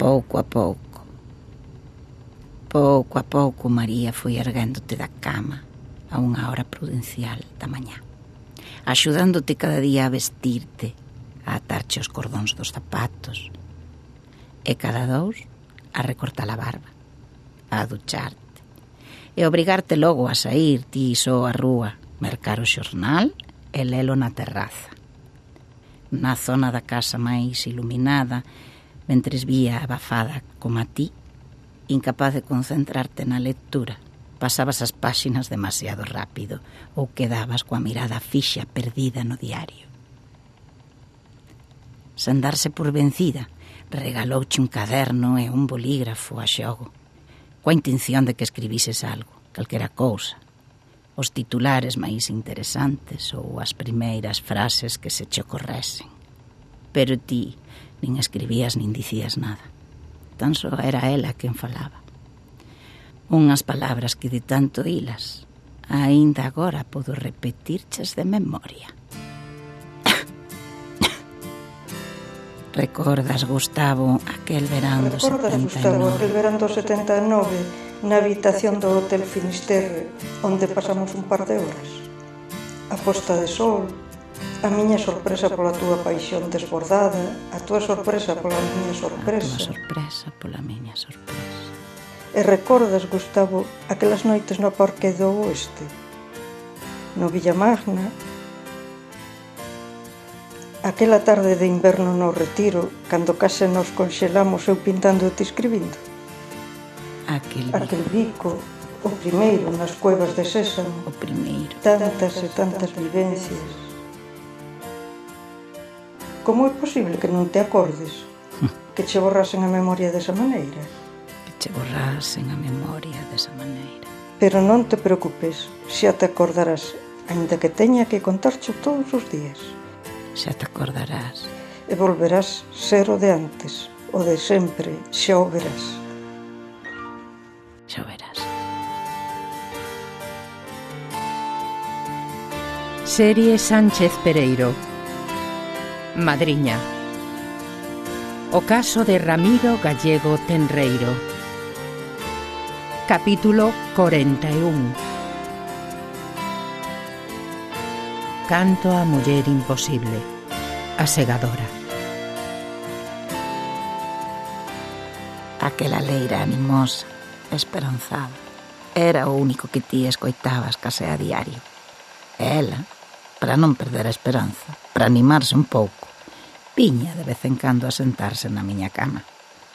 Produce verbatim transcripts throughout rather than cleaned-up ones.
pouco a pouco. Pouco a pouco María foi erguéndote da cama a unha hora prudencial da mañá, axudándote cada día a vestirte, a atarche os cordóns dos zapatos, e cada dous a recortar a barba, a ducharte, e obrigarte logo a sair ti só a rúa, mercar o xornal e lelo na terraza. Na zona da casa máis iluminada, mentres vía abafada como a ti, incapaz de concentrarte na lectura, pasabas as páxinas demasiado rápido ou quedabas coa mirada fixa perdida no diario. Sen darse por vencida, regalouche un caderno e un bolígrafo a xogo, coa intención de que escribises algo, calquera cousa, os titulares máis interesantes ou as primeiras frases que se che ocorresen. Pero ti nin escribías nin dicías nada. Tan só era ela quen falaba. Unhas palabras que de tanto hilas, aínda agora podo repetirches de memoria. Recordas, Gustavo, aquel verán do setenta e nove? Recordas, Gustavo, aquel verán do setenta e nove na habitación do Hotel Finisterre, onde pasamos un par de horas? A posta de sol, a miña sorpresa pola túa paixón desbordada, a túa sorpresa pola miña sorpresa. A túa sorpresa pola miña sorpresa. E recordas, Gustavo, aquelas noites no Parque do Oeste, no Villamagna, aquela tarde de inverno no Retiro, cando case nos conxelamos eu pintando e ti escribindo. Aquel bico. Aquel bico, o primeiro nas cuevas de Sésamo. O primeiro. Tantas e tantas vivencias. Como é posible que non te acordes? Que che borrasen a memoria desa maneira? Que che borrasen a memoria desa maneira. Pero non te preocupes, xa te acordarás, aínda que teña que contarcho todos os días. Xa te acordarás. E volverás ser o de antes, o de sempre, xa o verás. Xa o verás. Serie Sánchez Pereiro. Madriña. O caso de Ramiro Gallego Tenreiro. Capítulo corenta e un. Canto a muller imposible. A segadora. Aquela leira animosa, esperanzada, era o único que ti escoitabas case a diario. E ela, para non perder a esperanza, para animarse un pouco, viña de vez en cando a sentarse na miña cama,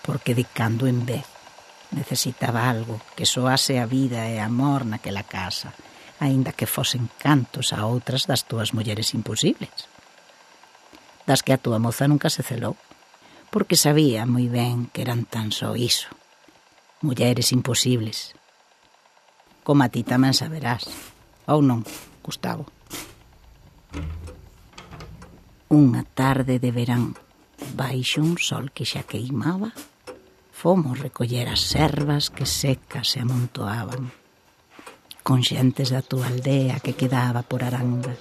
porque de cando en vez necesitaba algo que soase a vida e amor naquela casa, aínda que fosen cantos a outras das túas mulleres imposibles, das que a túa moza nunca se celou, porque sabía moi ben que eran tan só iso, mulleres imposibles, como a ti tamén saberás, ou non, Gustavo. Unha tarde de verán, baixo un sol que xa queimaba, fomos recoller as servas que secas se amontoaban, con xentes da túa aldea que quedaba por Aranga,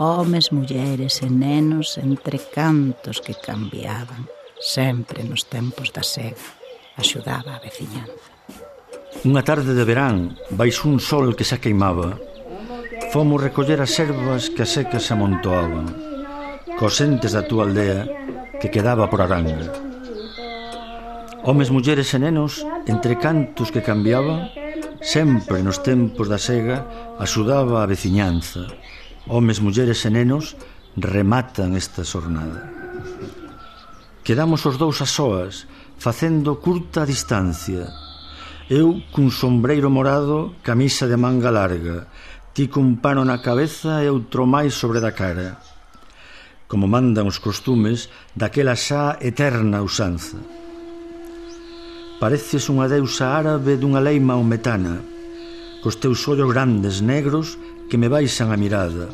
homes, mulleres e nenos entre cantos que cambiaban, sempre nos tempos da sega, axudaba a veciñanza. Unha tarde de verán, baixo un sol que xa queimaba, fomos recoller as servas que a secas se amontoaban, cos entes da túa aldea que quedaba por Aranga. Homes, mulleres e nenos, entre cantos que cambiaban, sempre nos tempos da sega axudaba a veciñanza. Homes, mulleres e nenos rematan esta xornada. Quedamos os dous a soas, facendo curta distancia. Eu cun sombreiro morado, camisa de manga larga, ti cun pano na cabeza e outro máis sobre da cara, como mandan os costumes daquela xa eterna usanza. Pareces unha deusa árabe dunha lei maometana, cos teus ollos grandes negros que me baixan a mirada,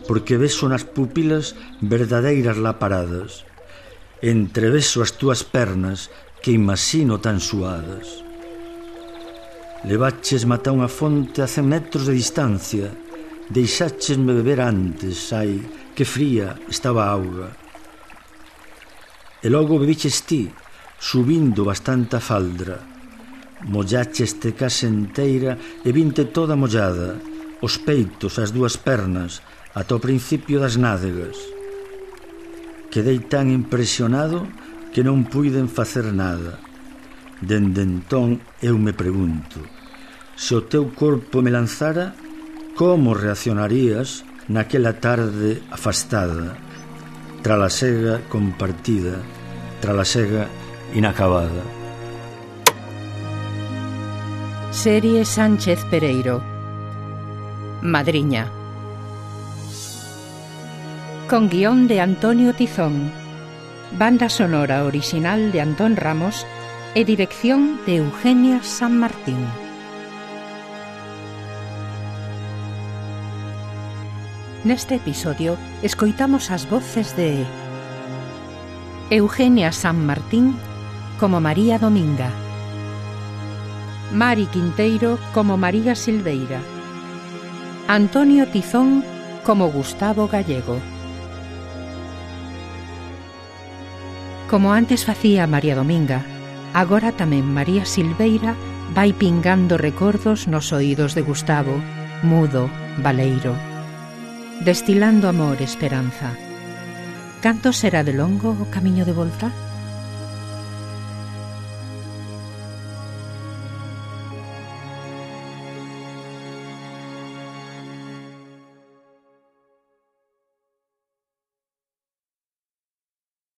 porque beso nas pupilas verdadeiras laparadas, entreveso as túas pernas que imagino tan suadas. Levaches mata unha fonte a cen metros de distancia, deixáchesme beber antes, ai, que fría estaba a auga. E logo bebiches ti, subindo bastante a faldra. Mollache este case enteira e vinte toda mollada, os peitos, as dúas pernas, ata o principio das nádegas. Quedei tan impresionado que non puiden facer nada. Dende entón eu me pregunto, se o teu corpo me lanzara, como reaccionarías naquela tarde afastada, trala sega compartida, trala sega inacabada? Serie Sánchez Pereiro. Madriña. Con guión de Antonio Tizón, banda sonora original de Antón Ramos e dirección de Eugenia San Martín. Neste episodio escoitamos as voces de Eugenia San Martín como María Dominga, Mari Quinteiro como María Silveira, Antonio Tizón como Gustavo Gallego. Como antes facía María Dominga, agora tamén María Silveira vai pingando recordos nos oídos de Gustavo, mudo, baleiro, destilando amor e esperanza. Canto será de longo o camiño de volta?